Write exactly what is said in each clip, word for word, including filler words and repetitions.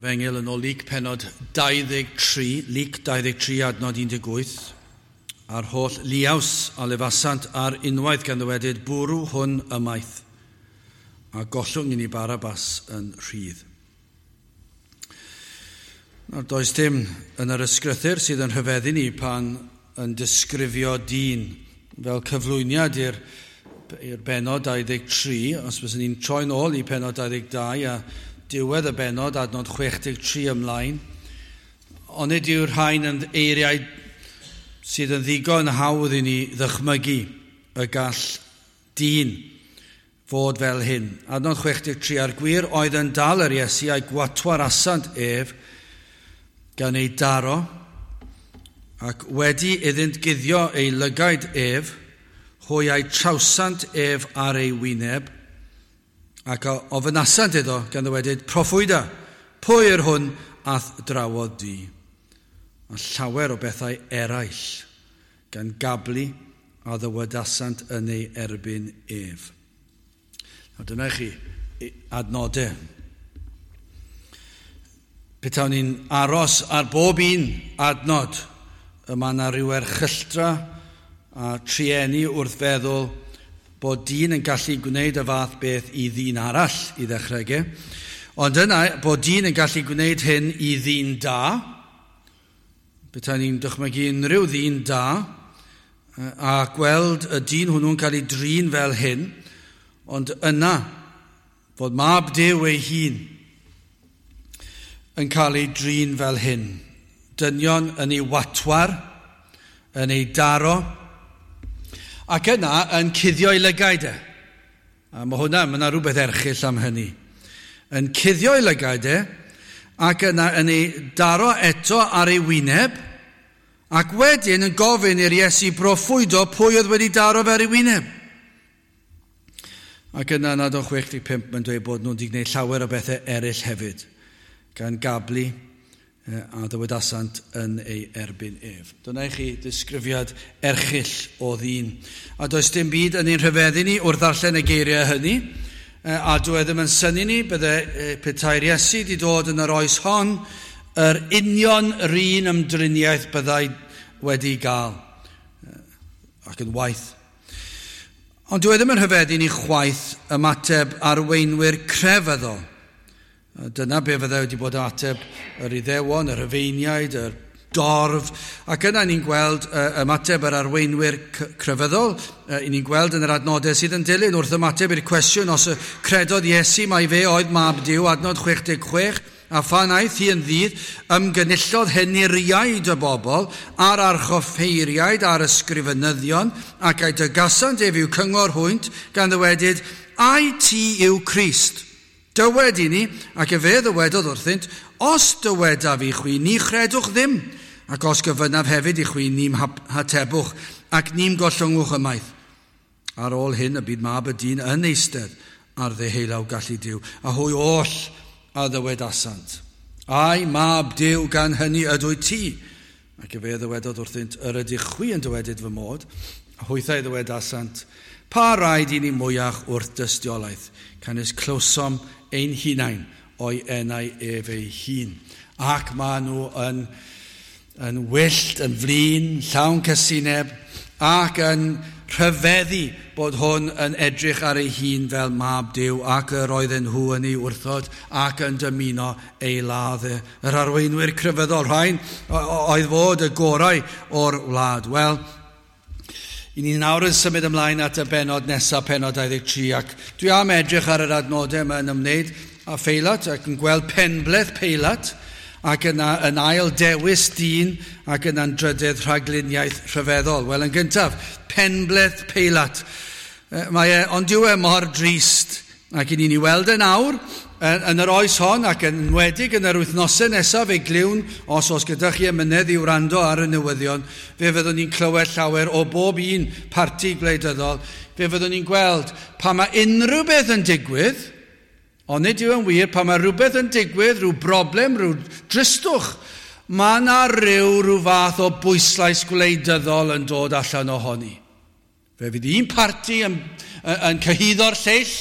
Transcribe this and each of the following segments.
Efengyl yn ôl Luc pennod dau ddeg tri, Luc dau ddeg tri adnod un deg wyth, a'r holl liaws a lefasant ar unwaith gan ddywedyd bwrw hwn ymaith, a gollwng i ni Barabbas yn rhydd. Nawr, does dim yn yr ysgrythur sydd yn rhyfeddu ni pan yn disgrifio dyn fel cyflwyniad i'r i'r bennod dau ddeg tri, os byswn ni'n troi'n ôl i pennod dau ddeg dau a diwedd y bennod, adnod chwech deg tri ymlaen, ond nid yw'r rhain yn eiriau sydd yn ddigon hawdd i ni ddychmygu y gall dyn fod fel hyn. Adnod chwech deg tri, a'r gwir oedd yn dal yr Iesu a'i gwatwarasant ef gan ei daro, ac wedi iddynt guddio ei lygaid ef, hwy a'i trawsant ef ar ei wyneb, ac ofynasant iddo gan ddywedyd, proffwyda, pwy yr hwn a'th drawodd di? A llawer o bethau eraill gan gablu a ddywedasant yn ei erbyn ef. Nawr dyna i chi adnodau. Petawn ni'n aros ar bob un adnod, y mae yna rhyw erchylltra a trueni wrth feddwl bod dyn yn gallu gwneud y fath beth i ddyn arall i ddechrau ge. Ond yna, bod dyn yn gallu gwneud hyn i ddyn da, petai ni'n dychmygu unrhyw ddyn da, a gweld y dyn hwnnw'n cael ei drin fel hyn, ond yna, fod mab Duw ei hun yn cael ei drin fel hyn. Dynion yn ei watwar, yn ei daro, ac yna yn cuddio ei lygaid e. A mae hwnna, mae yna rhywbeth erchyll am hynny. Yn cuddio ei lygaid e, ac yna yn ei daro eto ar ei wyneb, ac wedyn yn gofyn i'r Iesu broffwydo pwy oedd wedi daro fe ar ei wyneb. Ac yna yn adnod chwech deg pump mae'n dweud bod nhw wedi gwneud llawer o bethau eraill hefyd, gan gablu a ddywedasant yn ei erbyn ef. Dyna i chi ddisgrifiad erchyll o ddyn. A does dim byd yn ein rhyfeddu ni wrth ddarllen y geiriau hynny, a dyw e ddim yn synnu ni, bydde petai'r Iesu wedi dod yn yr oes hon, yr union yr un ymdriniaeth byddai wedi gael, ac yn waith. Ond dyw e ddim yn rhyfeddu ni chwaith ymateb arweinwyr crefyddol. Dyna be fyddai wedi bod ateb yr Iddewon, yr Rhufeiniaid, yr dorf. Ac yna ni'n gweld ymateb yr arweinwyr crefyddol. Ni'n gweld yn yr adnodau sydd yn dilyn wrth ymateb i'r cwestiwn os y credodd Iesu mai fe oedd mab Duw, adnod chwech deg chwech, a phan aeth hi yn ddydd, ymgynullodd henuriaid y bobl a'r archoffeiriaid a'r ysgrifenyddion, ac a'i dygasant ef i'w cyngor hwynt, gan ddywedyd, ai ti yw Crist? Dywed i ni, ac efe ddywedodd wrthynt, os dywedaf i chwi, ni chredwch ddim, ac os gofynnaf hefyd i chwi, ni'm hatebwch, ac ni'm gollwngwch ymaith. Ar ôl hyn y byd mab y dyn yn eistedd ar ddeheulaw gallu Duw, a hwy oll a ddywedasant. Ai mab Duw gan hynny ydw i ti? Ac efe ddywedodd wrthynt, yr ydych chwi yn dywedyd fy mod, a hwythau ddywedasant, pa raid i ni mwyach wrth dystiolaeth, canys clywsom ein hunain o'i enau ef ei hun. Ac maen nhw yn, yn wyllt, yn flin, llawn casineb, ac yn rhyfeddu bod hwn yn edrych ar ei hun fel mab Duw, ac yr oedden nhw yn ei wrthod ac yn dymuno ei ladd. Yr arweinwyr crefyddol rhain oedd fod y gorau o'r wlad. Wel, i ni nawr yn symud ymlaen at y bennod nesaf, pennod dau ddeg tri, ac dwi am edrych ar yr adnodau yma yn ymwneud â Pheilat ac yn gweld penbleth Peilat, ac yna yn ail dewis dyn, ac yna'n drydydd rhagluniaeth rhyfeddol. Wel, yn gyntaf, penbleth Peilat. Mae e, ond dyw e mor drist, ac i ni'n ei weld yn awr, yn yr oes hon, ac yn enwedig yn yr wythnosau nesaf, fe glywn, os oes gyda chi amynedd i wrando ar y newyddion, fe fyddwn ni'n clywed llawer o bob un parti gwleidyddol, fe fyddwn ni'n gweld pa mae unrhyw beth yn digwydd, ond nid yw yn wir, pa mae rhywbeth yn digwydd, rhyw broblem, rhyw dristwch, mae yna rhyw, rhyw fath o bwyslais gwleidyddol yn dod allan ohoni. Fe fydd un parti yn, yn cyhuddo'r lleill,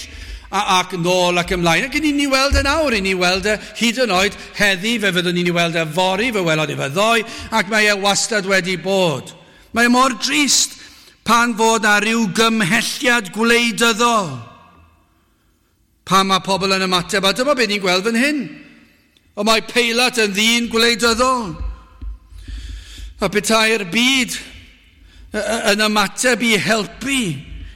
ac nôl ac ymlaen. Ac ni'n ni weld yn awr, i ni weld e hyd yn oed heddi, fe fyddwn ni'n weld e fory, fe welodd e fe ddoe, ac mae e wastad wedi bod. Mae e mor drist pan fod na ryw gymhelliad gwleidyddol. Pan mae pobl yn ymateb, a dyma beth ni'n gweld fan hyn. Ond mae Peilat yn ddyn gwleidyddol. A petai'r byd yn ymateb i helpu,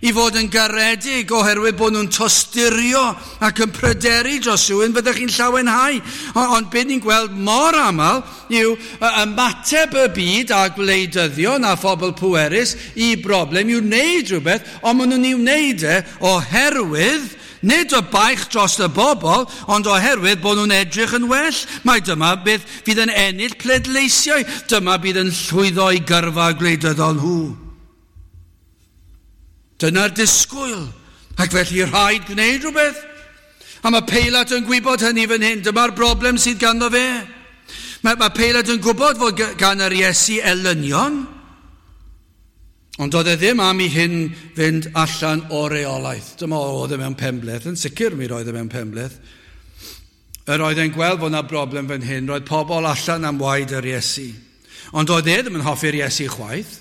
i fod yn garedig oherwydd bod nhw'n tosturio ac yn pryderu dros rhywun, fyddech chi'n llawenhau. Ond beth ni'n gweld mor aml yw ymateb y byd a gwleidyddion a phobl pwerus i broblem i'w wneud rhywbeth, ond maen nhw'n ei wneud e oherwydd nid o baich dros y bobl, ond oherwydd bod nhw'n edrych yn well. Mae dyma beth fydd yn ennill pleidleisiau. Dyma bydd yn llwyddo i gyrfa gwleidyddol nhw. Dyna'r disgwyl. Ac felly rhaid gwneud rhywbeth. A mae Peilat yn gwybod hynny fan hyn. Dyma'r broblem sydd ganddo fe. Mae, mae Peilat yn gwybod fod gan yr Iesu elynion. Ond oedd e ddim am i hyn fynd allan o reolaeth. Dyma oedd e mewn penbleth. Yn sicr mi roedd e mewn penbleth. Yr oedd e'n gweld fod yna broblem fan hyn. Roedd pobl allan am waed yr Iesu. Ond oedd e ddim yn hoffi'r Iesu chwaith.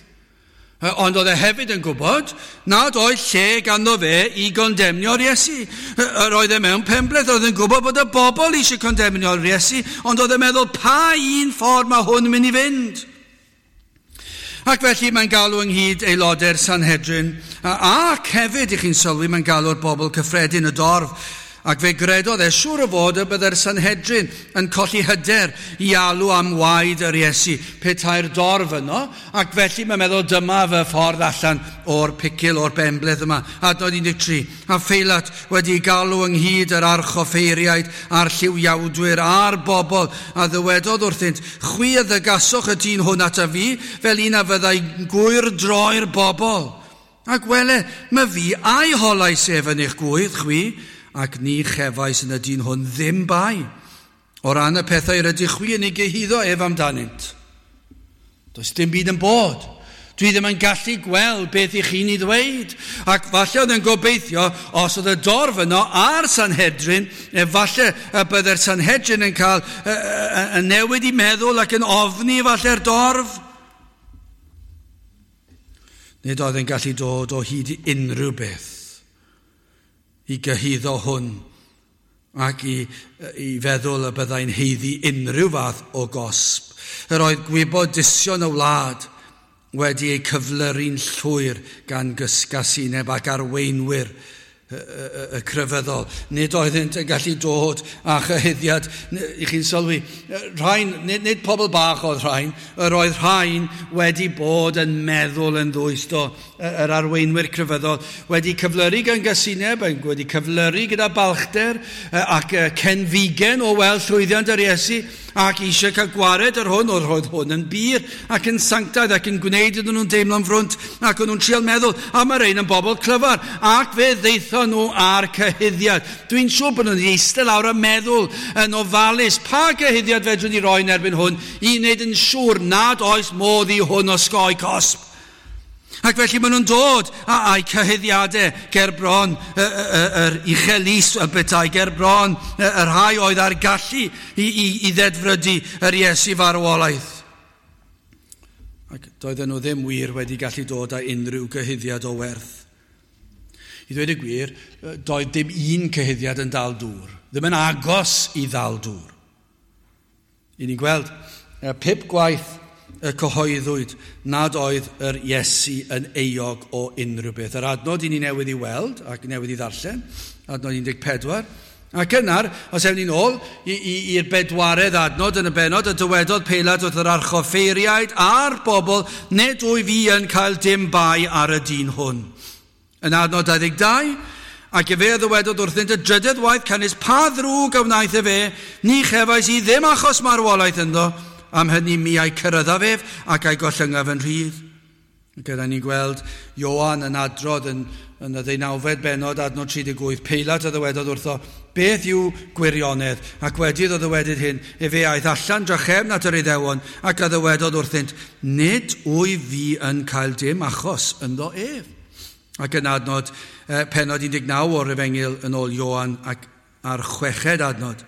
Ond oedd e hefyd yn gwybod nad oedd lle ganddo fe i gondemnio'r Iesu. Yr oedd e mewn penbleth, oedd yn gwybod bod y bobl eisiau condemnio'r Iesu, ond oedd e'n meddwl pa un ffordd mae hwn yn mynd i fynd. Ac felly mae'n galw ynghyd aelodau'r Sanhedrin, ac hefyd i chi'n sylwi mae'n galw'r bobl cyffredin y dorf. Ac fe gredodd e siŵr o fod y byddai'r Sanhedrin yn colli hyder i alw am waed yr Iesu petai'r dorf yno, ac felly mae'n meddwl dyma fy ffordd allan o'r picil, o'r benbleth yma. Adnod un deg tri. A Pheilat wedi galw ynghyd yr archoffeiriaid a'r lliwiawdwyr a'r bobl, a ddywedodd wrthynt, chwi a ddygasoch y dyn hwn ata fi, fel un a fyddai gwyr droi'r bobl. Ac wele, mae fi a'i holais ef yn eich gwydd chwi, ac ni chefais yn y dyn hwn ddim bai, o ran y pethau rydych chwi yn ei gyhuddo ef amdanynt. Does dim byd yn bod. Dwi ddim yn gallu gweld beth i chi'n ei ddweud. Ac falle oedd yn gobeithio, os oedd y dorf yno a'r Sanhedrin, efallai y byddai'r Sanhedrin yn cael y newid i meddwl ac yn ofni falle'r dorf. Nid oedd yn gallu dod o hyd i unrhyw beth i gyhuddo hwn ac i, i feddwl y byddai'n haeddu unrhyw fath o gosb. Yr oedd gwybodusion y wlad wedi eu cyflyru'n llwyr gan gysgasineb ac arweinwyr y, y, y crefyddol. Nid oeddynt yn gallu dod â chyhuddiad. I chi'n sylwi, rhain, nid, nid pobl bach oedd rhain, yr oedd rhain wedi bod yn meddwl yn ddwys do, yr arweinwyr crefyddol, wedi cyflyru gan gysineb, wedi cyflyru gyda balchder ac cenfigen o weld llwyddiant yr Iesu, ac eisiau cael gwared yr hwn, oedd roedd hwn yn bur ac yn sanctaidd ac yn gwneud iddyn nhw'n deimlo'n frwnt, ac o'n nhw'n trial meddwl, a mae rhain yn bobl clyfar, ac fe ddeithon nhw ar cyhuddiad. Dwi'n siŵr bod nhw'n eistedd lawr a meddwl yn ofalus, pa gyhuddiad fedrwn ni roi yn erbyn hwn i wneud yn siŵr nad oes modd i hwn osgoi cosb. Ac felly maen nhw'n dod â'i cyhuddiadau ger bron yr uchel lys y bethau, ger bron y rhai oedd ar gallu i, i, i ddedfrydu yr Iesu farwolaeth. Ac doedden nhw ddim wir wedi gallu dod â unrhyw gyhuddiad o werth. I ddweud y gwir, doedd dim un cyhuddiad yn dal dŵr, ddim yn agos i ddal dŵr. I ni'n gweld pump gwaith y cyhoeddwyd nad oedd yr Iesu yn euog o unrhyw beth. Yr adnod i ni newydd i weld ac newydd i ddarllen, adnod un deg pedwar. Ac yna'r, os ewn ni'n ôl i'r bedwaredd adnod yn y bennod, y dywedodd Peilat wrth yr archoffeiriaid a'r bobl, nid wyf fi yn cael dim bai ar y dyn hwn. Yn adnod dau ddeg dau, ac efe a ddywedodd wrthynt y drydedd waith, canys pa ddrwg a wnaeth efe, ni chefais i ddim achos marwolaeth ynddo, am hynny mi a'i cyryddaf ef ac a'i gollyngaf yn rhydd. Gyda ni'n gweld Ioan yn adrodd yn, yn y ddeunawfed bennod, adnod tri deg wyth. Peilat a ddywedodd wrtho, beth yw gwirionedd? Ac wedi iddo ddywedyd hyn, efe aeth allan drachefn at yr Iddewon ac a ddywedodd wrthynt, nid wyf fi yn cael dim achos ynddo ef. Ac yn adnod eh, pennod un deg naw o'r Efengyl yn ôl Ioan ac ar chweched adnod,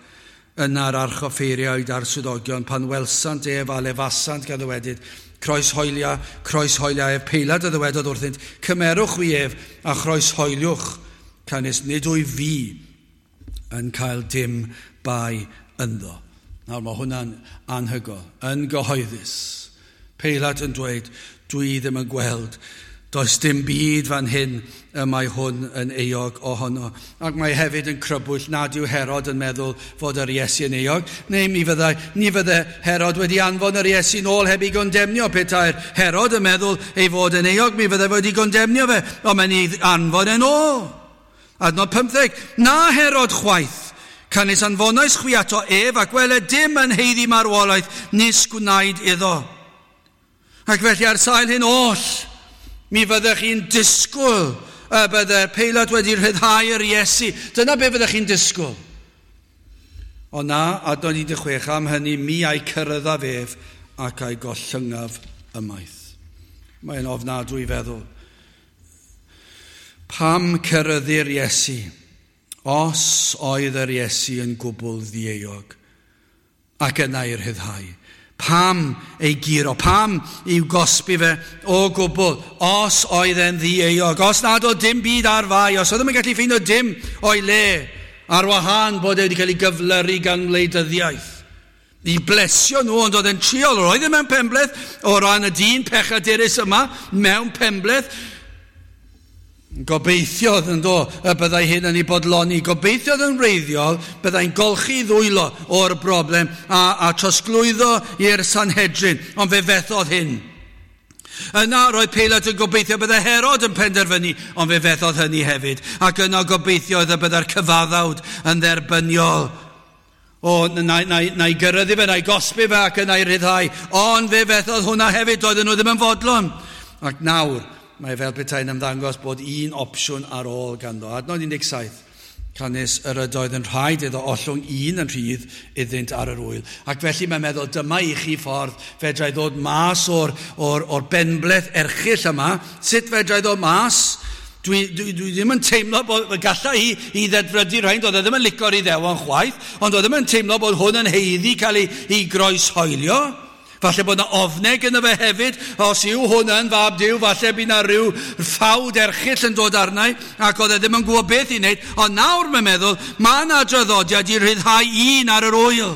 yna'r archoffeiriaid a'r swyddogion pan welsant ef a lefasant gan ddywedyd, croeshoelia, croeshoelia ef. Peilat a ddywedodd wrthynt, cymerwch chwi ef a chroeshoeliwch, canys nid wyf fi yn cael dim bai ynddo. Nawr mae hwnna'n anhygoel, yn gyhoeddus. Peilat yn dweud, dwi ddim yn gweld, does dim byd fan hyn y mae hwn yn euog ohono. Ac mae hefyd yn crybwyll nad yw Herod yn meddwl fod yr Iesu yn euog. Neu mi fyddai, ni fydde Herod wedi anfon yr Iesu nôl heb ei gondemnio. Petai'r Herod yn meddwl ei fod yn euog, mi fyddai wedi gondemnio fe, ond mae'n ei anfon yn ôl. Adnod pymtheg, na Herod chwaith, canys anfonais chwi ato ef ac wele dim yn haeddu marwolaeth nis gwnaed iddo. Ac felly ar sail hyn oll, mi fyddech chi'n disgwyl y bydde'r Peilat wedi rhyddhau yr Iesu. Dyna be fyddech chi'n disgwyl. Ond na, adnod un deg chwech, am hynny mi a'i cyryddaf ef ac a'i gollyngaf ymaith. Mae'n ofnadwy i feddwl. Pam cyryddu'r Iesu? Os oedd yr Iesu yn gwbl ddieuog ac yna i'r rhyddhau. Pam ei guro, pam i'w gosbi fe o gwbl, os oedd e'n ddieuog, os nad oedd dim byd ar fai, os oedd ddim yn gallu ffeindio dim o'i le, ar wahân bod e wedi cael ei gyflyru gan wleidyddiaeth. I blesio nhw, ond oedd e'n triol, roedd e mewn penbleth o ran y dyn pechadurus yma, mewn penbleth. Gobeithiodd yn do y byddai hyn yn ei bodloni. Gobeithiodd yn wreiddiol byddai'n golchi ddwylo o'r broblem a, a trosglwyddo i'r Sanhedrin, ond fe fethodd hyn. Yna roedd Peilat yn gobeithio byddai Herod yn penderfynu, ond fe fethodd hynny hefyd. Ac yna gobeithiodd y byddai'r cyfaddawd yn dderbyniol. O, na, na, na i gyrraedd fe, na i gosbi fe ac yna i ryddhau. Ond fe fethodd hwnna hefyd, doedden nhw ddim yn fodlon. Ac nawr, mae fel petai'n ymddangos bod un opsiwn ar ôl ganddo. Adnod un deg saith, canys yr ydoedd yn rhaid iddo ollwng un yn rhydd iddynt ar yr wyl. Ac felly mae'n meddwl, dyma i chi ffordd fedrai ddod mas o'r, or, or benbleth erchyll yma. Sut fedrai ddod mas? Dwi, dwi, dwi ddim yn teimlo bod galla i, i ddedfrydu rhain, doedd e ddim yn lico'r Iddewon chwaith, ond doedd e ddim yn teimlo bod hwn yn haeddu cael ei, ei groeshoelio. Falle bod yna ofneg yna fe hefyd, os yw hwn yn fab Duw, falle bydd yna rhyw ffawd erchyll yn dod arnau, ac oedd e ddim yn gwybod beth i wneud. Ond nawr mae'n meddwl, mae yna draddodiad i ryddhau un ar yr wyl.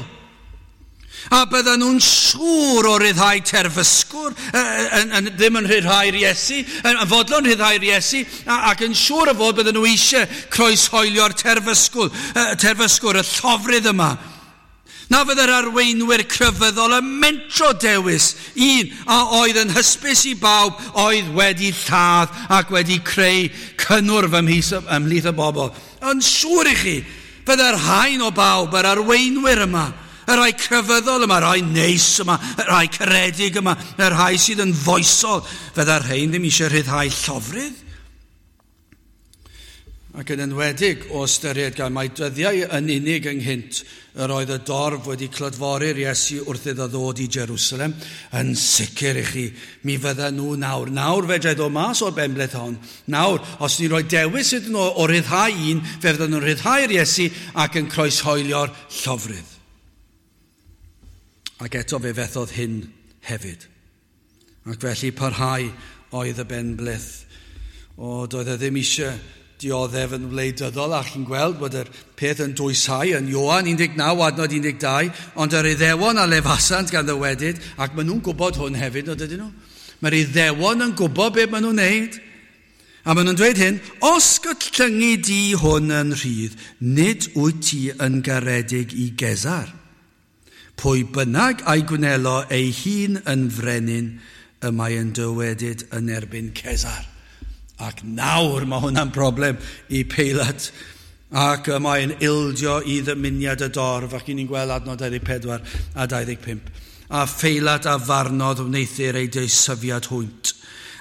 A bydden nhw'n siŵr o ryddhau terfysgwr, yn, yn, ddim yn rhyddhau'r Iesu, yn fodlon rhyddhau'r Iesu, ac yn siŵr o fod bydden nhw eisiau croeshoelio'r terfysgwr, terfysgwr, y llofrudd yma. Na fydde'r arweinwyr crefyddol yn mentro dewis un a oedd yn hysbys i bawb oedd wedi lladd ac wedi creu cynnwrf ymhlith y bobl. Yn siŵr i chi, fydde'r rhain o bawb, yr arweinwyr yma, y rhai crefyddol yma, y rhai neis yma, y rhai caredig yma, y rhai sydd yn foesol, fydde'r rhain ddim eisiau rhyddhau llofrudd. Ac yn enwedig o ystyried gan mai dyddiau yn unig ynghynt yr oedd y dorf wedi clodfori'r Iesu wrth iddo ddod i Jerusalem, yn sicr i chi, mi fydden nhw nawr. Nawr fedrai ddod mas o'r benbleth hon. Nawr, os ni'n rhoi dewis iddyn nhw o ryddhau un, fe fydden nhw'n rhyddhau'r Iesu ac yn croeshoelio'r llofrudd. Ac eto fe fethodd hyn hefyd. Ac felly parhau oedd y benbleth. O, doedd e ddim eisiau dioddef yn wleidyddol, a chi'n gweld bod yr peth yn dwysau yn Ioan un deg naw, adnod un deg dau, ond yr Iddewon a lefasant gan ddywedyd, ac maen nhw'n gwybod hwn hefyd, o dydyn nhw? Mae'r Iddewon yn gwybod beth maen nhw'n neud. A maen nhw'n dweud hyn, os gollyngi di hwn yn rhydd, nid wyt ti yn garedig i Gesar. Pwy bynnag a'i gwnelo ei hun yn frenin, y mae yn dywedyd yn erbyn Cesar. Ac nawr mae hwnna'n broblem i Peilat. Ac mae'n ildio i ddymuniad y dorf, ac ni'n gweld adnod dau ddeg pedwar a dau ddeg pump. A Pheilat a farnodd wneuthur ei deisyfiad hwynt.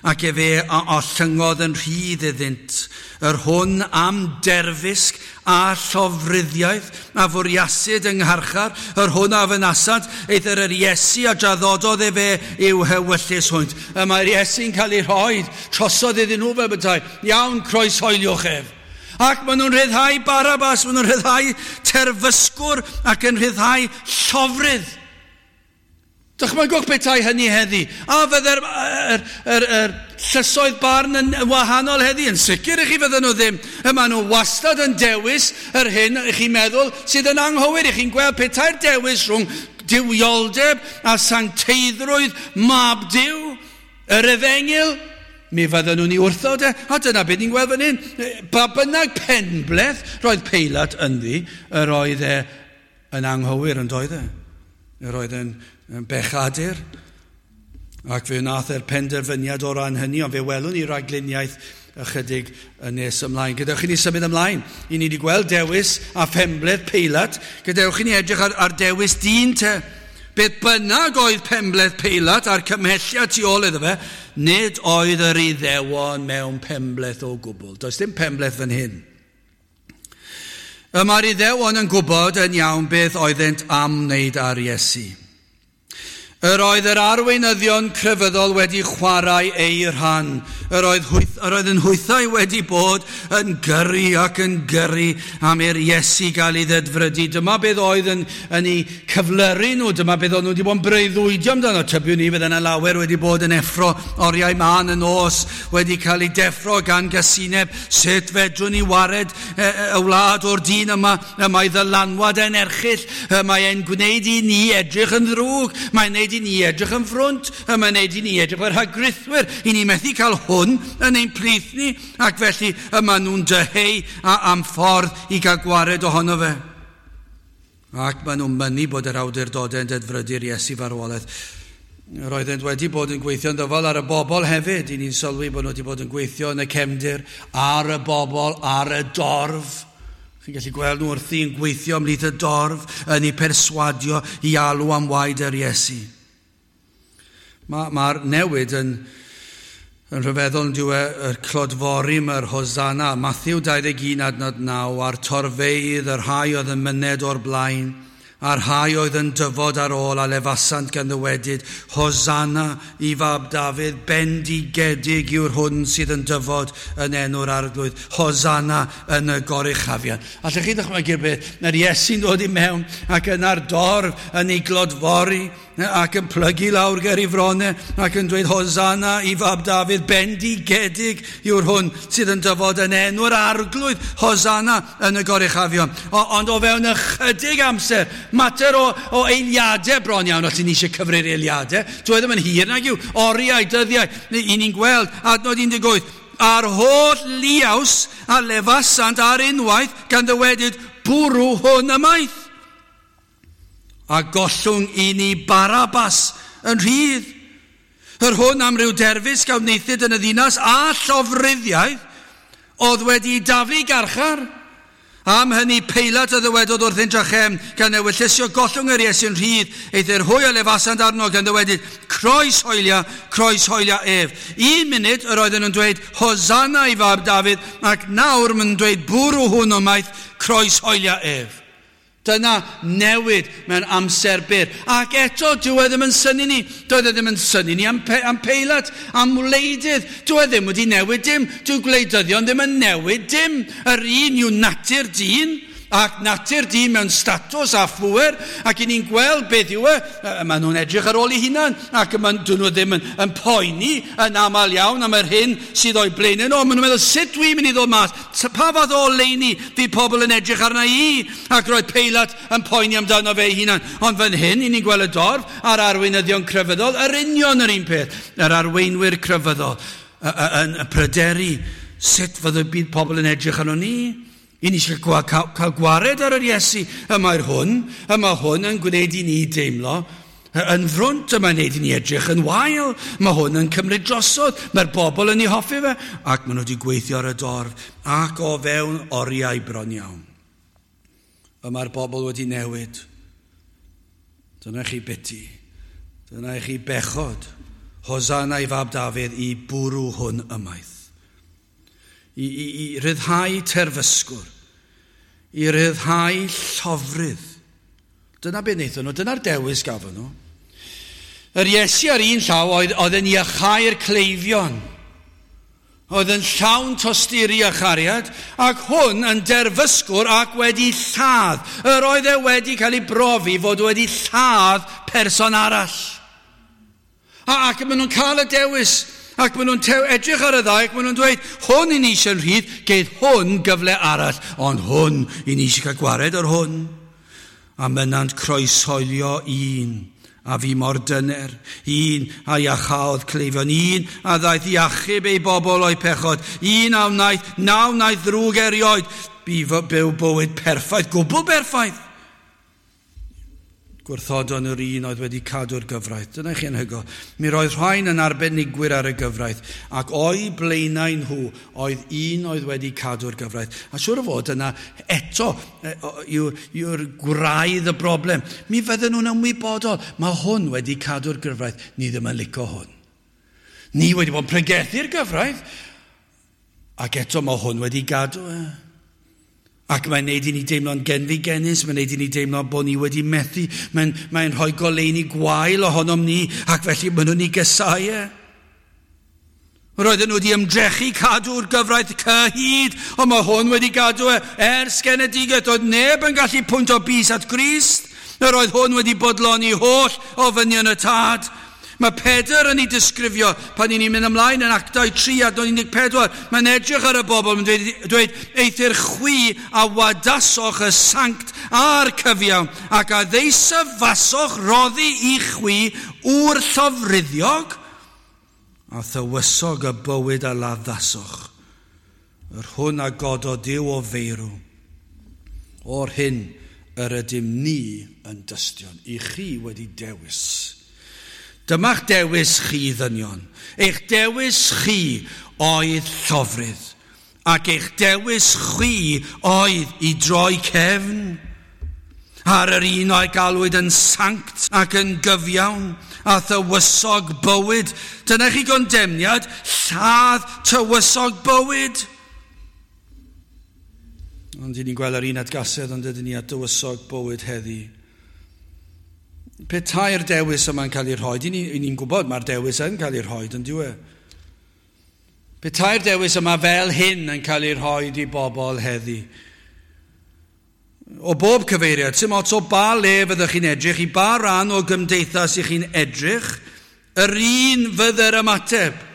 Ac efe a ollyngodd yn rhydd iddynt Yr hwn am derfysg a llofruddiaeth a fwriasid yng ngharchar, yr hwn a fynasant, eithr yr Iesu a draddododd efe i'w hewyllys hwynt. Y mae'r Iesu'n cael ei rhoi trosodd iddyn nhw fel bethau. Iawn, croeshoeliwch ef. Ac maen nhw'n rhyddhau Barabas, maen nhw'n rhyddhau terfysgwr ac yn rhyddhau llofrudd. Dychmygwch petai hynny heddi. A fydde'r er, er, er, llysoedd barn yn wahanol heddi? Yn sicr i chi fydden nhw ddim. Y maen nhw wastad yn dewis yr hyn i chi'n meddwl sydd yn anghywir. I chi'n gweld petai'r dewis rhwng duwioldeb a sancteiddrwydd mab Duw, yr efengyl, mi fydden nhw'n ei wrthod e. A dyna beth ni'n gweld fan hyn. Ba bynnag penbleth roedd Peilat ynddi, yr oedd e yn anghywir yn doedd e. Yr oedd e'n yn bechadur, ac fe wnaeth e'r penderfyniad o ran hynny, ond fe welwn ni ragluniaeth ychydig yn nes ymlaen. Gadewch i ni symud ymlaen. I ni wedi gweld dewis a phenbleth Peilat. Gadewch i ni edrych ar, ar dewis dyn te. Beth bynnag oedd penbleth Peilat a'r cymhelliad tu ôl iddo fe, nid oedd yr Iddewon mewn penbleth o gwbl. Does dim penbleth fan hyn. Y mae'r Iddewon yn gwybod yn iawn beth oeddent am wneud ar Iesu. Yr oedd yr arweinyddion crefyddol wedi chwarae eu rhan. Yr oedd, hwyth, yr oedd yn hwythau wedi bod yn gyrru ac yn gyrru am i'r Iesu gael ei ddedfrydu. Dyma beth oedd yn, yn eu cyflyru nhw. Dyma beth oedd nhw wedi bod yn breuddwydio amdano. Tybiwn ni fydd yna lawer wedi bod yn effro oriau mân y nos, wedi cael ei deffro gan gasineb. Sut fedrwn ni wared y, y wlad o'r dyn yma? Y mae ddylanwad yn erchyll. Y mae e'n gwneud i ni edrych yn ddrwg. Mae'n gwneud i ni edrych yn frwnt, y mae'n gwneud i ni edrych fel rhagrithwyr. I ni methu cael hwn yn ein plith ni, ac felly y maen nhw'n dyheu am ffordd i gael gwared ohono fe. Ac maen nhw'n mynnu bod yr awdurdodau yn dedfrydu'r Iesu farwolaeth. Roeddent wedi bod yn gweithio'n ddyfal ar y bobl hefyd. I ni'n sylwi bod nhw wedi bod yn gweithio yn y cefndir, ar y bobl, ar y dorf. Chi'n gallu gweld nhw wrthi yn gweithio ymhlith y dorf, yn ei perswadio i alw am waed yr Iesu. Mae'r ma newid yn, yn rhyfeddol yn diwedd y clodfori mae'r Hosanna. Matthew dau ddeg un adnod naw, a'r torfeydd, yr rhai oedd yn myned o'r blaen, a'r rhai oedd yn dyfod ar ôl a lefasant gan ddywedyd, Hosanna i fab Dafydd, bendigedig yw'r hwn sydd yn dyfod yn enw'r Arglwydd. Hosanna yn y goruchafion. Allwch chi ddychmygu'r beth? Mae'r Iesu'n dod i mewn ac yna'r dorf yn ei glodfori ac yn plygu lawr ger ei fronau ac yn dweud Hosanna i fab Dafydd, bendigedig yw'r hwn sydd yn dyfod yn enw'r Arglwydd, Hosanna yn y goruchafion. O, ond o fewn ychydig amser, mater o, o eiliadau bron iawn, os ni eisiau cyfri'r eiliadau, dwi ddim yn hir nag yw, oriau, dyddiau, i ni'n gweld, adnod un deg wyth, a'r holl liaws a lefasant ar unwaith gan ddywedyd, bwrw hwn ymaith. A gollwng i ni Barabas yn rhydd. Yr hwn am ryw derfysg a wnaethid yn y ddinas a llofruddiaeth oedd wedi daflu garchar. Am hynny Peilat a ddywedodd wrthynt drachefn, gan ewyllysio gollwng yr Iesu'n rhydd, eithr hwy a lefasant arno gan ddywedyd, croes hoelia, croes hoelia ef. Un munud yr oedden nhw'n dweud, Hosanna i fab Dafydd, ac nawr maen nhw'n dweud, bwrw hwn ymaith, croes hoelia ef. Dyna newid mewn amser byr. Ac eto, dyw e ddim yn synnu ni. Doedd e ddim yn synnu ni am, pe, am Peilat, am wleidydd. Dyw e ddim wedi newid dim. Dyw gwleidyddion ddim yn newid dim. Yr un yw natur dyn, ac natur dyn mewn statws a phŵer, ac i ni'n gweld beth yw e, maen nhw'n edrych ar ôl eu hunan, ac maen dyn nhw ddim yn, yn poeni yn aml iawn am yr hyn sydd o'i blaenau nhw. Maen nhw'n meddwl, sut dwi'n mynd i ddod mas? Pa fath o oleuni fydd pobl yn edrych arna i? Ac roedd Peilat yn poeni amdano fe ei hunan. Ond fan hyn, i ni'n gweld y dorf a'r arweinyddion crefyddol, yr union yr un peth, yr arweinwyr crefyddol yn pryderu sut fydd y byd pobl yn edrych arno ni. I ni eisiau cael, cael gwared ar yr Iesu. Y mae'r hwn, y mae hwn yn gwneud i ni deimlo yn frwnt, y mae'n gwneud i ni edrych yn wael, mae hwn yn cymryd drosodd, mae'r bobl yn ei hoffi fe, ac maen nhw wedi gweithio ar y dorf, ac o fewn oriau bron iawn. Y mae'r bobl wedi newid. Dyna chi biti, dyna chi bechod. Hosanna i fab Dafydd i bwrw hwn ymaith. i, i, i ryddhau terfysgwr, i ryddhau llofrydd. Dyna beth wnaethon nhw, dyna'r dewis gafon nhw. Yr Iesu ar un llaw oedd, oedd yn iachau'r cleifion, oedd yn llawn tosturi a chariad, ac hwn yn derfysgwr ac wedi lladd. Yr oedd e wedi cael ei brofi fod wedi lladd person arall. A, ac maen nhw'n cael y dewis, ac maen nhw'n edrych ar y ddau, ac maen nhw'n dweud, hwn i ni eisiau'n rhydd, geith hwn gyfle arall, ond hwn i ni eisiau cael gwared ar hwn. A mynant croeshoelio un, a fi mor dyner, un a iachaodd cleifion, un a ddaeth i achub ei bobl o'i pechod, un a wnaeth, na wnaeth ddrwg erioed, bu byw bywyd perffaith, gwbl berffaith. Gwrthodon yr un oedd wedi cadw'r gyfraith. Dyna chi anhygoel. Mi roedd rhain yn arbenigwyr ar y gyfraith, ac o'i blaenau nhw oedd un oedd wedi cadw'r gyfraith. A siŵr o fod yna eto yw'r yw gwraidd y broblem. Mi fydden nhw'n ymwybodol, mae hwn wedi cadw'r gyfraith, ni ddim yn licio hwn. Ni wedi bod yn pregethu'r gyfraith, ac eto mae hwn wedi gadw e. Ac mae'n neud i ni deimlo'n genfigennus, mae'n neud i ni deimlo bod ni wedi methu, mae'n mae rhoi goleuni gwael ohonom ni, ac felly maen nhw'n ei gysau e. Roedden nhw wedi ymdrechu cadw'r gyfraith cyhyd, ond mae hwn wedi gadw e ers genedigaeth. Oedd neb yn gallu pwynt o bys at Grist. Yr oedd hwn wedi bodloni holl ofynion y tad. Mae Pedr yn ei disgrifio pan ni'n mynd ymlaen yn Actau tri adnod un deg pedwar. Mae'n edrych ar y bobl, mae'n dweud, dweud eithr chwi a wadasoch y sanct a'r cyfiawn ac a ddeisyfasoch roddi i chwi wr llofruddiog a thywysog y bywyd a laddasoch, yr hwn a gododd Duw o feirw. O'r hyn yr ydym ni yn dystion, i chi wedi dewis. Dyma'ch dewis chi, ddynion. Eich dewis chi oedd llofrudd, ac eich dewis chwi oedd i droi cefn ar yr un o'i galwyd yn sanct ac yn gyfiawn a thywysog bywyd. Dyna chi gondemniad, lladd tywysog bywyd. Ond i ni'n gweld yr un atgasedd, ond ydyn ni at dywysog bywyd heddi. Petai'r dewis yma'n cael ei rhoi, ni'n ni gwybod mae'r dewis yn cael ei rhoi, yn dyw e. Petai'r dewis yma fel hyn yn cael ei rhoi i bobl heddi. O bob cyfeiriad, sy'n ots o ba le fyddwch chi'n edrych, i ba ran o gymdeithas i chi'n edrych, yr un fydde'r ymateb,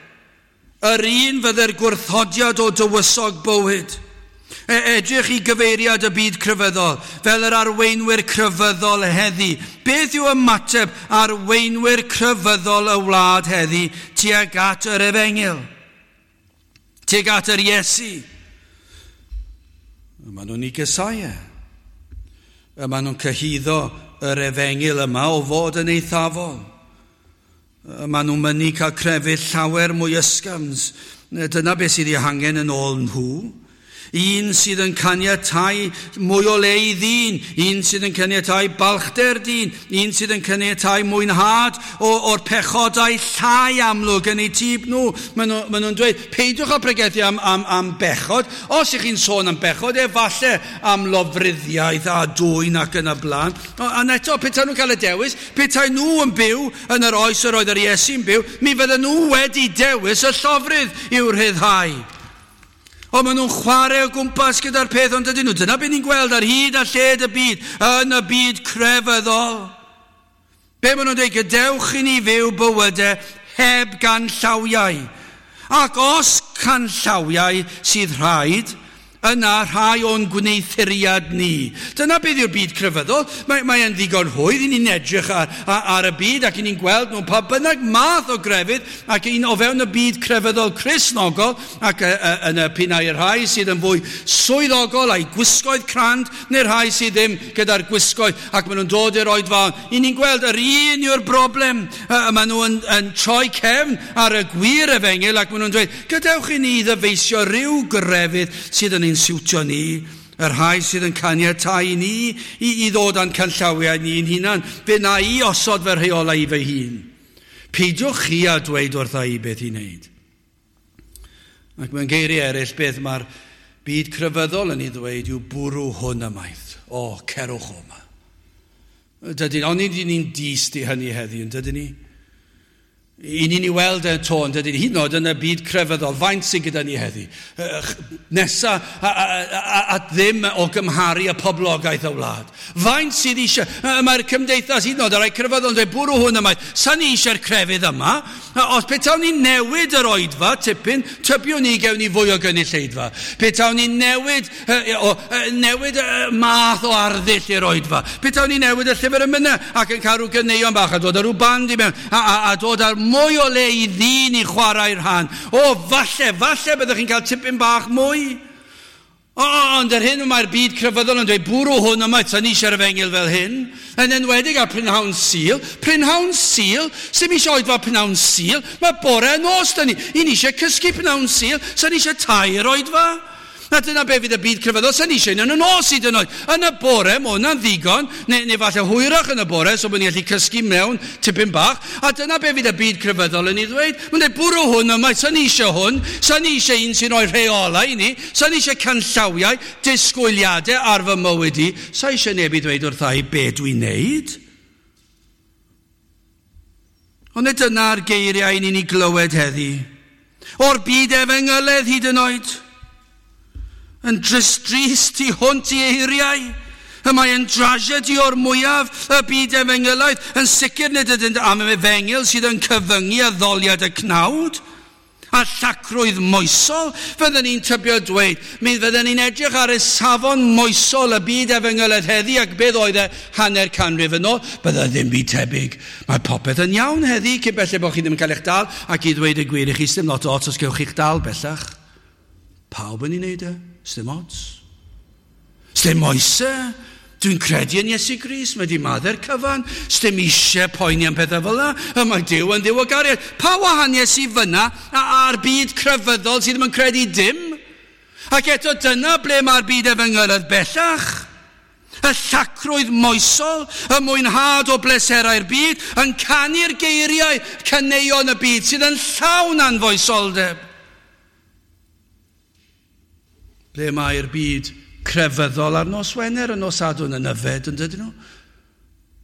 yr un fydde'r gwrthodiad o dywysog bywyd. Edrych i gyfeiriad y byd crefyddol, fel yr arweinwyr crefyddol heddi. Beth yw ymateb arweinwyr crefyddol y wlad heddi tuag at yr efengyl? Tuag at yr Iesu? Maen nhw'n ei gysau e. Maen nhw'n cyhuddo yr efengyl yma o fod yn eithafol. Maen nhw'n mynnu cael crefydd llawer mwy ysgafn. Dyna beth sydd ei hangen yn ôl nhw. Un sydd yn caniatáu mwy o le i ddyn, un sydd yn caniatáu balchder dyn, un sydd yn caniatáu mwynhad o'r pechodau llai amlwg yn eu tyb nhw. Maen nhw, maen nhw'n dweud, peidiwch â pregethu am, am, am bechod. Os ych chi'n sôn am bechod, efallai am lofruddiaeth a dwyn ac yn y blaen. A eto, petai nhw'n cael y dewis, petai nhw yn byw yn yr oes yr oedd yr Iesu'n byw, mi fydden nhw wedi dewis y llofrudd i'w rhyddhau. Ond maen nhw'n chwarae o gwmpas gyda'r peth, ond ydyn nhw. Dyna beth ni'n gweld ar hyd a lled y byd, yn y byd crefyddol. Be maen nhw'n dweud, gadewch i ni fyw bywydau heb ganllawiau. Ac os canllawiau sydd rhaid, yna rhai o'n gwneuthuriad ni. Dyna beth yw'r byd crefyddol. Mae, mae e'n ddigon rhwydd i ni'n edrych ar, ar, ar y byd ac i ni'n gweld nhw pa bynnag math o grefydd ac un o fewn y byd crefyddol Cristnogol ac y, y, yn y pinnau rhai sydd yn fwy swyddogol a'i gwisgoedd crand neu'r rhai sydd ddim gyda'r gwisgoedd ac maen nhw'n dod i'r oedfaon. I ni'n gweld yr un yw'r broblem. Maen nhw yn, yn troi cefn ar y gwir efengyl ac maen nhw'n dweud, gadewch i ni ddyfeisio rhyw grefydd sydd yn ein siwtio ni, y rhai sydd yn caniatáu i ni i, i ddod â'n canllawiau ni'n hunan. Fe na i osod fy rheolau i fy hun. Peidiwch chi a dweud wrtha i beth i wneud. Ac mewn geiriau eraill, beth mae'r byd crefyddol yn ei ddweud yw bwrw hwn ymaith. O, cerwch o yma. Dydyn, ond ni'n dyst i hynny heddiw, yn dydyn ni? I ni'n ei weld e to, yn dydyn ni? Hyd yn oed yn y byd crefyddol, faint sydd gyda ni heddi? Nesa at ddim o gymharu y poblogaeth y wlad. Faint sydd eisiau? Mae'r cymdeithas hyd yn oed, y rhai crefyddol yn dweud, bwrw hwn yma. Sa ni eisiau'r crefydd yma. Os petawn ni newid yr oedfa, tipyn, tybiwn ni gewn ni fwy o gynulleidfa. Petawn ni newid, o, newid math o arddull i'r oedfa. Petawn ni newid y llyfr emynau ac yn cael rhyw ganeuon bach a dod â rhyw band i mewn a, a, a dod â'r mwy o le i ddyn i chwarae'r rhan. O, falle, falle byddwch chi'n cael tipyn bach mwy. O, ond yr hyn mae'r byd crefyddol yn dweud, bwrw hwn yma, sa ni eisiau'r efengyl fel hyn. Yn enwedig ar prynhawn Sul. Prynhawn Sul, sy'm eisiau oedfa prynhawn Sul, mae bore a nos da ni. I ni eisiau cysgu prynhawn Sul, sa ni eisiau tair oedfa. Na dyna be fydd y byd crefyddol, sa ni eisiau un yn y nos hyd yn oed. Yn y bore, mae hwnna'n ddigon, neu, neu falle hwyrach yn y bore, so bod ni'n gallu cysgu mewn tipyn bach. A dyna be fydd y byd crefyddol yn ei ddweud. Mae'n dweud, bwrw hwn yma, sa ni eisiau hwn, sa ni eisiau un sy'n rhoi rheolau i ni, sa ni eisiau canllawiau, disgwyliadau ar fy mywyd i, sa eisiau neb i ddweud wrtha i be dwi'n neud. Ond nid dyna'r geiriau ni'n ei glywed heddi. O'r byd efengyledd hyd yn oed. Yn drist drist i hwnt i eiriau. Y mae yn drasiedi o'r mwyaf y byd efengylaidd. Yn sicr nid ydynt am efengyl sydd yn cyfyngu addoliad y cnawd a llacrwydd moesol. Fydden ni'n tybio dweud, mi fydden ni'n edrych ar y safon moesol y byd efengylaidd heddi ac beth oedd e hanner canrif yn ôl, bydde ddim byd tebyg. Mae popeth yn iawn heddi, cyn belled bod chi ddim yn cael eich dal, ac i ddweud y gwir i chi, sdim lot o ots os gewch chi'ch dal bellach. Pawb yn ei wneud e, sdim ots. Sdim moesau. Dwi'n credu yn Iesu Grist, mae di maddau'r cyfan, sdim eisiau poeni am pethau fel yna, y mae Duw yn Dduw o gariad. Pa wahaniaeth sydd fyna a'r byd crefyddol sydd ddim yn credu dim? Ac eto dyna ble mae'r byd efengylaidd bellach. Y llacrwydd moesol, y mwynhad o bleserau'r byd, yn canu'r geiriau caneuon y byd sydd yn llawn anfoesoldeb. Ble mae'r byd crefyddol ar nos Wener, y nos Sadwrn yn yfed, yn dydyn nhw?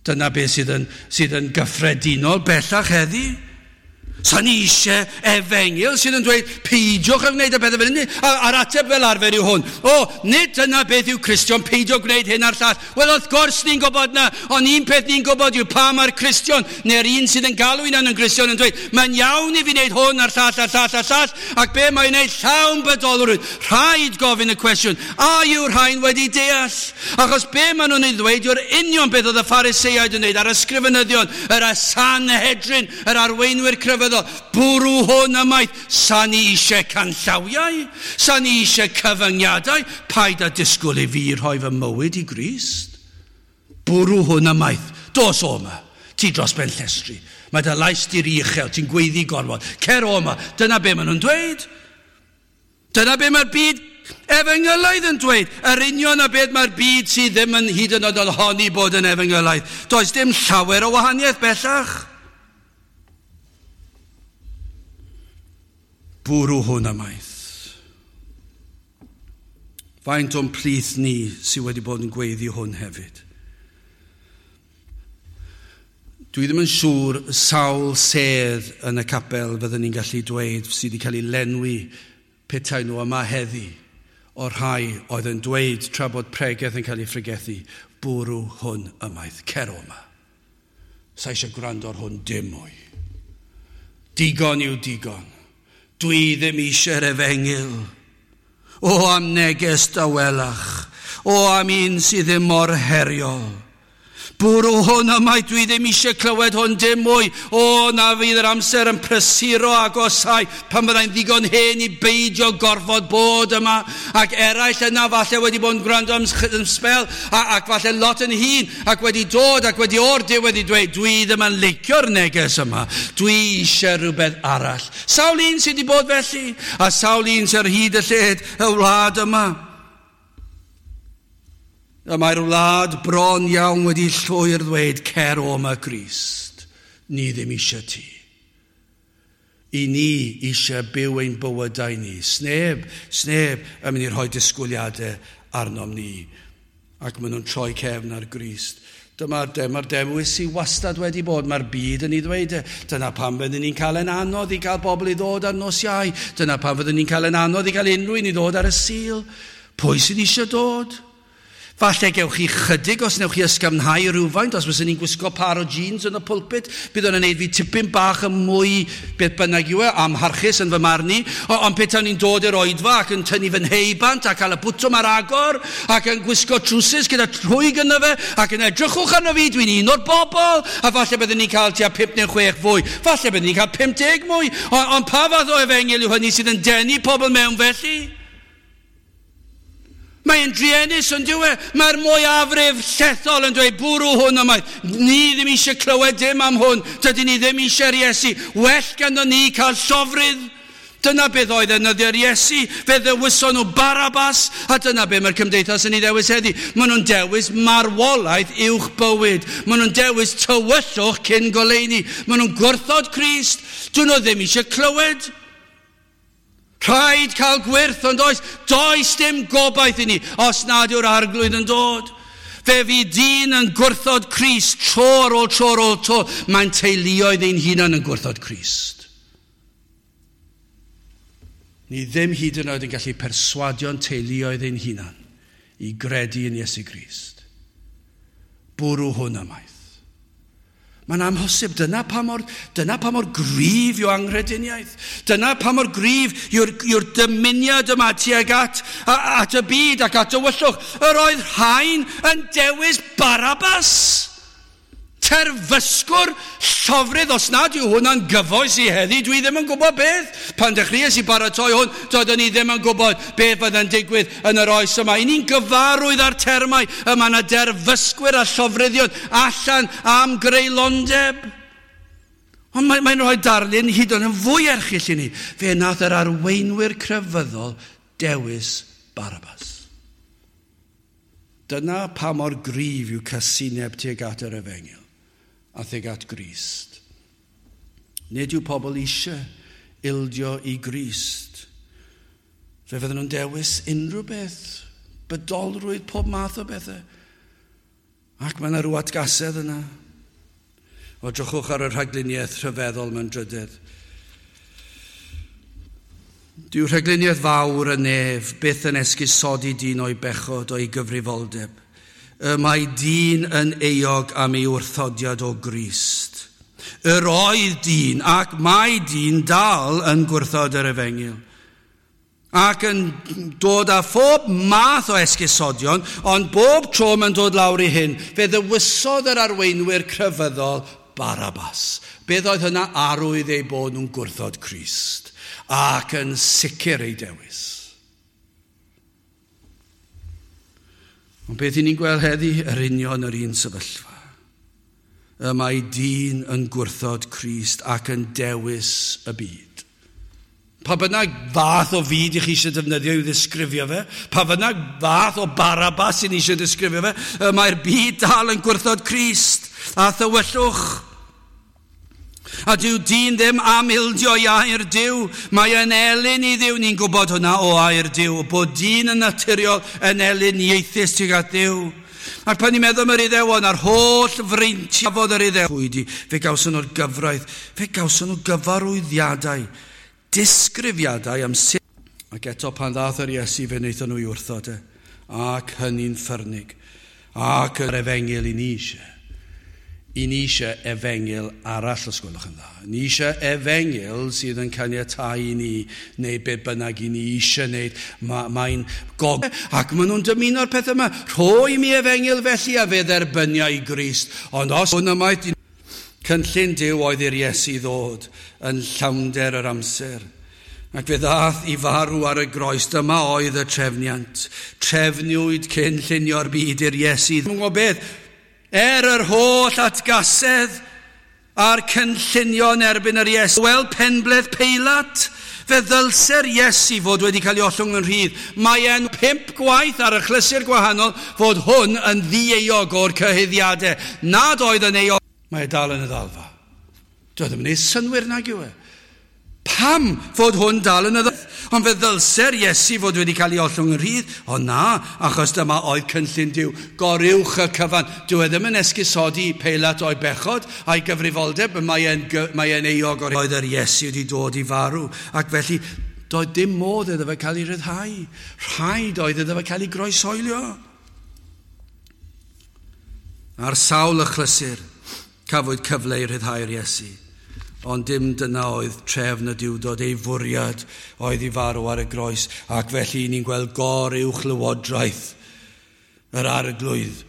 Dyna beth sydd yn, sydd yn gyffredinol bellach heddi. Sa ni eisiau efengyl sydd yn dweud, peidiwch â gwneud y pethau fel hynny. A'r ateb fel arfer yw hwn. O, nid dyna beth yw Cristion, peidio gwneud hyn a'r llall. Wel, wrth gwrs ni'n gwybod na, ond un peth ni'n gwybod yw pa mae'r Cristion, neu'r un sydd yn galw hunan yn Gristion yn dweud, mae'n iawn i fi wneud hwn a'r llall a'r llall a'r llall, ac be mae'n wneud llawn bydolrwydd. Rhaid gofyn y cwestiwn, a yw'r rhain wedi deall? Achos be maen nhw'n ei ddweud yw'r union beth oedd y Phariseaid yn wneud, a'r ysgrifenyddion, yr Sanhedrin, yr arweinwyr crefyddol, bwrw hwn ymaith. Sa ni eisiau canllawiau, sa ni eisiau cyfyngiadau, paid â disgwyl i fi rhoi fy mywyd i Grist. Bwrw hwn ymaith, dos o yma, ti dros ben llestri, mae dy lais di'r uchel, ti'n gweiddi gorfod, cer o yma, dyna be maen nhw'n dweud. Dyna be mae'r byd efengylaidd yn dweud, yr union a beth mae'r byd sydd ddim yn hyd yn oed yn honni bod yn efengylaidd. Does dim llawer o wahaniaeth bellach. Bwrw hwn ymaith. Faint o'n plith ni sydd wedi bod yn gweiddi hwn hefyd. Dwi ddim yn siŵr sawl sedd yn y capel fyddwn ni'n gallu dweud sydd wedi cael ei lenwi petai nhw yma heddi o'r rhai oedd yn dweud tra bod pregeth yn cael ei phregethu, bwrw hwn ymaith, cer o yma. Sa eisiau gwrando ar hwn dim mwy. Digon yw digon. Dwi ddim eisiau'r efengyl. O am neges dawelach. O am un sydd ddim mor heriol. Bwrw hwn yma, dwi ddim eisiau clywed hwn dim mwy. O, na fydd yr amser yn prysuro agosau pan fyddai'n ddigon hen i beidio gorfod bod yma. Ac eraill yna falle wedi bod yn gwrando am sbel, ac falle lot yn hŷn, ac wedi dod ac wedi o'r diwedd i dweud, dwi ddim yn licio'r neges yma. Dwi eisiau rhywbeth arall. Sawl un sydd wedi bod felly, a sawl un sydd ar hyd y lled y wlad yma. Y mae'r wlad bron iawn wedi llwyr ddweud, cer o yma Grist, ni ddim eisiau ti. I ni eisiau byw ein bywydau ni. Sneb, sneb yn mynd i rhoi disgwyliadau arnom ni. Ac maen nhw'n troi cefn ar Grist. Dyma'r dyma'r dewis sydd wastad wedi bod. Mae'r byd yn ei ddweud e. Dyna pam fyddwn ni'n cael yn anodd i gael bobl i ddod ar nos Iau. Dyna pam fyddwn ni'n cael yn anodd i gael unrhyw un i ddod ar y Sul. Pwy sydd eisiau dod? Falle gewch chi chydig os newch chi ysgafnhau rhywfaint, os fyswn ni'n gwisgo par o jeans yn y pulpit, bydd o'n gwneud fi tipyn bach yn mwy beth bynnag yw e, amharchus yn fy marn i. Ond petawn ni'n dod i'r oedfa ac yn tynnu fy nheibant ac cael y bwtwm ar agor ac yn gwisgo trwsus gyda rhwyg yno fe ac yn edrychwch arno fi, dwi'n un o'r bobl, a falle byddwn ni'n cael tua pump neu chwech fwy, falle byddwn ni'n cael pum deg mwy, ond on pa fath o efengyl yw hynny sydd yn denu pobl mewn felly? Mae'n druenus yn dyw e. Mae'r mwyafrif llethol yn dweud bwrw hwn ymaith. Ni ddim eisiau clywed dim am hwn. Dydyn ni ddim eisiau'r Iesu. Well ganddo ni cael llofrudd. Dyna beth oedd yn nyddiau'r Iesu. Fe ddewison nhw Barabas. A dyna beth mae'r cymdeithas yn ei ddewis heddi. Maen nhw'n dewis marwolaeth uwch bywyd. Maen nhw'n dewis tywyllwch cyn goleuni. Maen nhw'n gwrthod Crist. Dyn nhw ddim eisiau clywed. Rhaid cael gwyrth, ond oes, does dim gobaith i ni os nad yw'r Arglwydd yn dod. Fe fydd dyn yn gwrthod Crist tro ar ôl tro ar ôl tro. Mae'n teuluoedd ein hunan yn gwrthod Crist. Ni ddim hyd yn oed yn gallu perswadio'n teuluoedd ein hunan i gredu yn Iesu Grist. Bwrw hwn ymaith. Mae'n amhosib. Dyna pa mor, dyna pa mor gryf yw anghrediniaeth. Dyna pa mor gryf yw'r, yw'r dymuniad yma tuag at, at y byd ac at tywyllwch. Yr oedd rhain yn dewis Barabas. Terfysgwr llofrudd, os nad yw hwnna'n gyfoes i heddi, dwi ddim yn gwybod beth. Pan dechreuais i baratoi hwn, doeddwn i ddim yn gwybod beth fydd yn digwydd yn yr oes yma. I ni'n gyfarwydd â'r termau yma na derfysgwyr a llofruddion allan am greulondeb. Ond mae'n mae rhoi darlun hyd yn oed yn fwy erchyll i ni. Fe nath yr arweinwyr crefyddol dewis Barabas. Dyna pa mor gryf yw casineb tuag at yr efengyl a tuag at Grist. Nid yw pobl eisiau ildio i Grist. Fe fydden nhw'n dewis unrhyw beth, bydolrwydd, pob math o bethau. Ac mae yna rhyw atgasedd yna. O, drychwch ar y rhagluniaeth rhyfeddol mewn drydedd. Dyw rhagluniaeth fawr y nef byth yn esgusodi dyn o'i bechod o'i gyfrifoldeb. Y mae dyn yn euog am ei wrthodiad o Grist. Yr oedd dyn ac mae dyn dal yn gwrthod yr efengyl. Ac yn dod â phob math o esgusodion, ond bob tro mae'n dod lawr i hyn, fe ddewisodd yr arweinwyr crefyddol Barabas. Beth oedd hynna? Arwydd eu bod nhw'n gwrthod Crist ac yn sicr ei dewis. Ond beth i ni'n gweld heddi? Yr union yr un sefyllfa. Y mae dyn yn gwrthod Crist ac yn dewis y byd. Pa bynnag fath o fyd i chi eisiau defnyddio i'w ddisgrifio fe, pa bynnag fath o Barabas i ni eisiau ddisgrifio fe, y mae'r byd dal yn gwrthod Crist a thywyllwch. A dyw dyn ddim am ildio i air Duw. Mae yn elyn i Dduw. Ni'n gwybod hwnna o air Duw. Bod dyn yn naturiol yn elyn ieithus tuag at Dduw. Ac pan ni'n meddwl am yr Iddewon a'r holl freintiau fod yr Iddew, pwy fe gawson nhw'r gyfraith, fe gawson nhw gyfarwyddiadau, disgrifiadau am sut. Ac eto pan ddath yr Iesu fe wnaethon nhw i wrthod e. Ac hynny'n ffyrnig. Ac yr efengyl i ni eisiau. I ni eisiau efengyl arall, os gwelwch yn dda. Ni eisiau efengyl sydd yn caniatáu i ni, neu be bynnag i ni eisiau wneud. Ma, mae'n gog... Ac maen nhw'n dymuno'r peth yma. Rhoi mi efengyl felly a fe dderbynia i Grist. Ond os hwn yma... Cynllun Duw oedd i'r Iesu ddod yn llawnder yr amser. Ac fe ddath i farw ar y groes. Dyma oedd y trefniant. Trefniwyd cyn llunio'r byd i'r Iesu. Dwi'n gwybod beth? Er yr holl atgasedd a'r cynllunio yn erbyn yr Iesu. Wel, penbleth Peilat, fe ddylse'r Iesu fod wedi cael ei ollwng yn rhydd. Mae e'n pump gwaith ar y achlysur gwahanol fod hwn yn ddieuog o'r cyhuddiadau. Nad oedd yn euog. Mae e dal yn y ddalfa. Doedd ddim yn ei synwyr nag yw e. Pam fod hwn dal yn y ddoeth? Ond fe ddylse'r Iesu fod wedi cael ei ollwng yn rhydd. O na, achos dyma oedd cynllun Duw. Goruwch y cyfan. Dyw e ddim yn esgusodi Peilat o'i bechod a'i gyfrifoldeb. Mae e'n, mae e'n euog o'r oedd yr Iesu wedi dod i farw. Ac felly, doedd dim modd iddo fe cael ei ryddhau. Rhaid oedd iddo fe cael ei groeshoelio. Ar sawl achlysur, cafwyd cyfle i ryddhau'r Iesu. Ond dim dyna oedd trefn y Duwdod, ei fwriad oedd i farw ar y groes, ac felly ni'n gweld goruwch lywodraeth yr Arglwydd.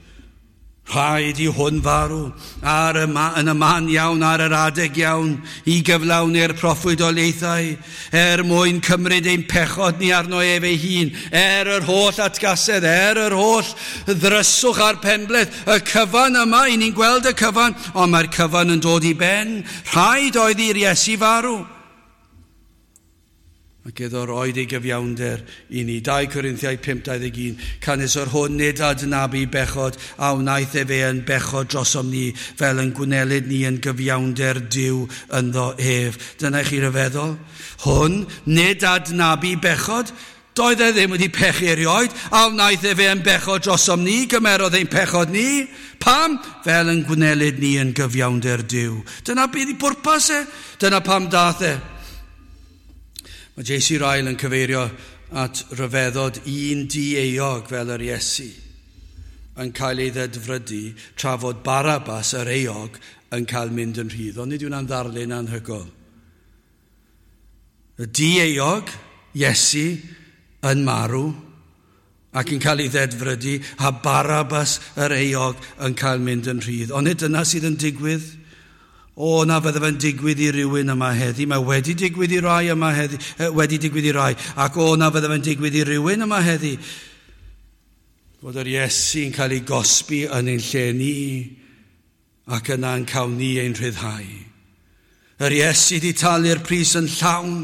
Rhaid i hwn farw ar y ma, yn y man iawn, ar yr adeg iawn, i gyflawni'r proffwydoliaethau, er mwyn cymryd ein pechod ni arno ef ei hun, er yr holl atgasedd, er yr holl ddryswch a'r penbleth, y cyfan yma, i ni'n gweld y cyfan, ond mae'r cyfan yn dod i ben. Rhaid oedd i'r Iesu farw. Ac iddo roed ei gyfiawnder i ni. Dau Corinthiaid pump dau ddeg un. Canys o'r hwn nid adnabu bechod a wnaeth efe yn bechod drosom ni, fel yn gwnelyd ni yn gyfiawnder Duw ynddo ef. Dyna i chi ryfeddol. Hwn nid adnabu bechod. Doedd e ddim wedi pechu erioed, a wnaeth efe yn bechod drosom ni, gymerodd ein pechod ni. Pam? Fel yn gwnelyd ni yn gyfiawnder Duw. Dyna beth i bwrpas e. Dyna pam dath e. Mae J C Ryle yn cyfeirio at ryfeddod un dieuog fel yr Iesu yn cael ei ddedfrydu tra fod Barabbas yr euog yn cael mynd yn rhydd. Ond nid yw'n ddarlun anhygoel. Y dieuog, Iesu, yn marw ac yn cael ei ddedfrydu, a Barabbas yr euog yn cael mynd yn rhydd. Ond nid dyna sydd yn digwydd. O, na fydde fe'n digwydd i rywun yma heddi. Mae wedi digwydd i rai yma heddi, wedi digwydd i rai. Ac o, na fydde fe'n digwydd i rywun yma heddi. Fod yr Iesu'n cael ei gosbi yn ein lle ni, ac yna'n cael ni ein rhyddhau. Yr Iesu wedi talu'r pris yn llawn,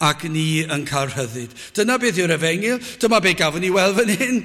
ac ni yn cael rhyddid. Dyna beth yw'r efengyl, dyma beth gafon ni weld fan hyn.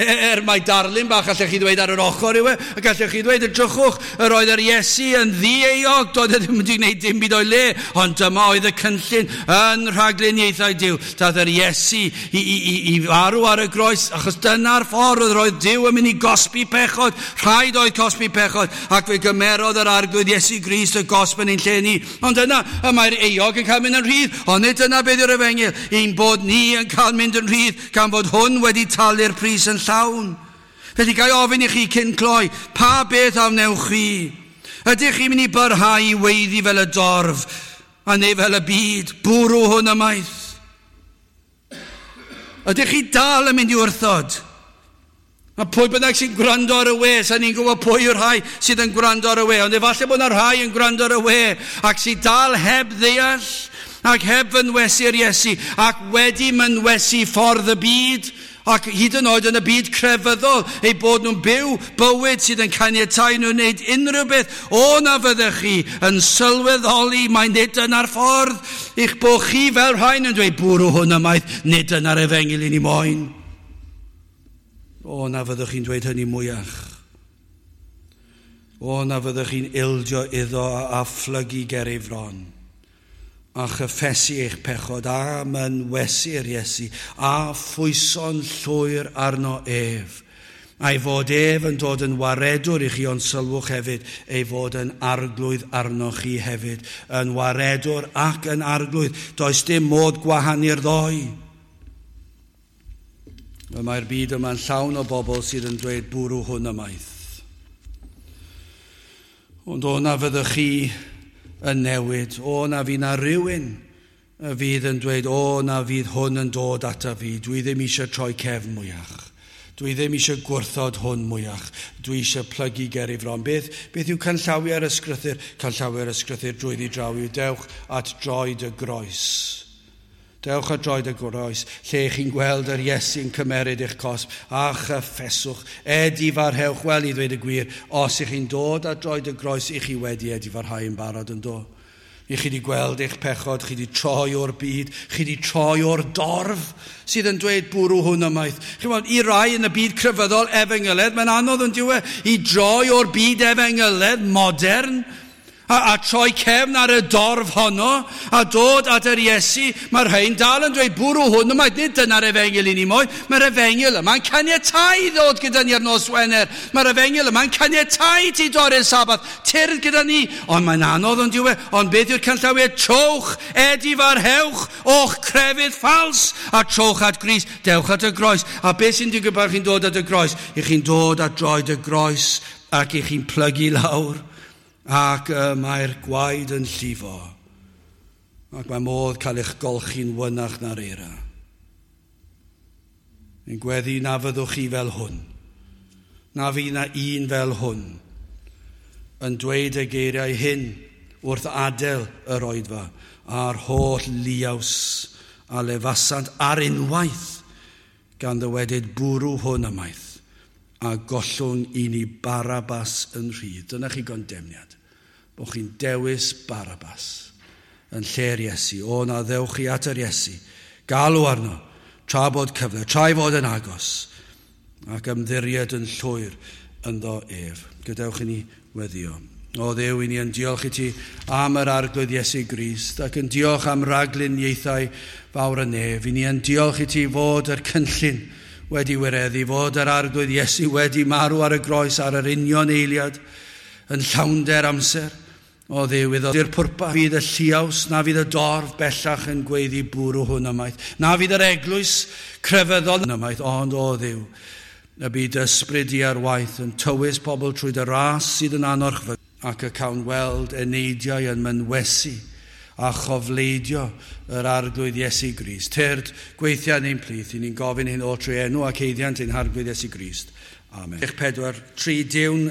Er mae darlun bach allech chi ddweud ar yr ochr yw e, ac allech chi ddweud, edrychwch, yr oedd yr Iesu yn ddieuog, doedd e ddim wedi gwneud dim byd o'i le, ond dyma oedd y cynllun yn rhagluniaethau Duw. Daeth yr Iesu i, i, i, i farw ar y groes, achos dyna'r ffordd yr oedd Duw yn mynd i gosbi pechod, rhaid oedd cosbi pechod, ac fe gymerodd yr Arglwydd Iesu Grist y gosb yn ein lle ni. Ond yna, y mae'r euog yn cael mynd yn rhydd, ond nid dyna beth yw'r efengyl, ein bod ni yn cael mynd yn rhydd, gan fod hwn wedi talu'r pris yn llawn. Felly ga i ofyn i chi cyn cloi, pa beth a wnewch chi? Ydych chi'n mynd i barhau i weiddi fel y dorf, a neu fel y byd, bwrw hwn ymaith? Ydych chi dal yn mynd i wrthod? A pwy bynnag sy'n gwrando ar y we, sa'n ni'n gwybod pwy yw'r rhai sydd yn gwrando ar y we, ond efallai bod yna rhai yn gwrando ar y we, ac sydd dal heb ddeall, ac heb fynwesu'r Iesu, ac wedi mynwesu ffordd y byd, ac hyd yn oed yn y byd crefyddol, eu bod nhw'n byw bywyd sydd yn caniatáu nhw wneud unrhyw beth. O na fyddech chi yn sylweddoli mai nid dyna'r ffordd, eich bod chi fel rhain yn dweud bwrw hwn ymaith, nid dyna'r efengyl i ni moyn. O na fyddwch chi'n dweud hynny mwyach. O na fyddwch chi'n ildio iddo a phlygu ger ei fron, a chyffesu eich pechod, a mynwesu'r Iesu, a phwyso'n llwyr arno ef. A'i fod ef yn dod yn waredwr i chi, ond sylwch hefyd, ei fod yn arglwydd arnoch chi hefyd, yn waredwr ac yn arglwydd. Does dim modd gwahanu'r ddoi. Mae'r byd yma'n llawn o bobl sydd yn dweud bwrw hwn ymaith. Ond o na fyddwch chi yn newid, o na fydd na rhywun y fydd yn dweud, o na fydd hwn yn dod ata fi, dwi ddim eisiau troi cefn mwyach, dwi ddim eisiau gwrthod hwn mwyach, dwi eisiau plygu ger ei fron. Beth, beth yw canllawiau'r ysgrythur? Canllawiau'r ysgrythur drwyddi draw yw dewch at droed y groes. Dewch at droed y groes, lle chi'n gweld yr Iesu'n cymeryd eich cosb, a chyffeswch, edifarhewch. Wel, i ddweud y gwir, os ych chi'n dod at droed y groes, ych chi wedi edifarhau yn barod yn do. I chi wedi gweld eich pechod, chi wedi troi o'r byd, chi wedi troi o'r dorf sydd yn dweud bwrw hwn ymaith. Chi'n gweld, i rai yn y byd crefyddol efengyledd, mae'n anodd yn diwe, i droi o'r byd efengyledd modern, A, a troi cefn ar y dorf honno, a dod at yr Iesu. Mae'r rhain dal yn dweud bwrw hwn, yma, nid dyna'r efengyl i ni moyn. Mae'r efengyl yma'n caniatáu i ddod gyda ni ar nos Wener. Mae'r efengyl yma'n caniatáu ti dorri'r Sabath. Tyrd gyda ni. Ond mae'n anodd ond yw e. Ond beth yw'r canllawiau? Trowch, edifarhewch o'ch crefydd ffals, a trowch at Grist. Dewch at y groes. A beth sy'n digwydd pan chi'n dod at y groes? I chi'n dod at droed y groes ac i chi'n plygu lawr. Ac uh, mae'r gwaed yn llifo. Ac mae modd cael eich golchi'n wynach na'r eira. Ni'n gweddi na fyddwch chi fel hwn. Na fydd na un fel hwn. Yn dweud y geiriau hyn wrth adael yr oedfa a'r holl liaws a lefasant ar unwaith gan ddywedyd bwrw hwn ymaith a gollwng i ni Barabas yn rhydd. Dyna chi gondemniad. Bod chi'n dewis Barabas yn lle'r Iesu. O, na ddewch chi at yr Iesu. Galw arno, tra bod cyfle, tra i fod yn agos, ac ymddiried yn llwyr ynddo ef. Gadewch i ni weddio. O Dduw, i ni yn diolch i ti am yr Arglwydd Iesu Grist, ac yn diolch am ragluniaethau fawr y nef. I ni yn diolch i ti fod yr cynllun wedi wireddu, fod yr Arglwydd Iesu wedi marw ar y groes ar yr union eiliad yn llawnder amser. O Dduw, iddo i'r pwrpas fydd y lliaws, na fydd y dorf bellach yn gweiddi bwrw hwn ymaith, na fydd yr eglwys crefyddol ymaith, ond o Dduw, y byd ysbryd i ar waith yn tywys pobl trwy dy ras sydd yn anorchfygol, ac y cawn weld eneidiau yn mynwesu a chofleidio yr Arglwydd Iesu Grist. Tyrd, gweithia yn ein plith, i ni'n gofyn hyn o trwy enw ac eiddiant ein Harglwydd Iesu Grist. Amen. Pedwar, tri, diwn.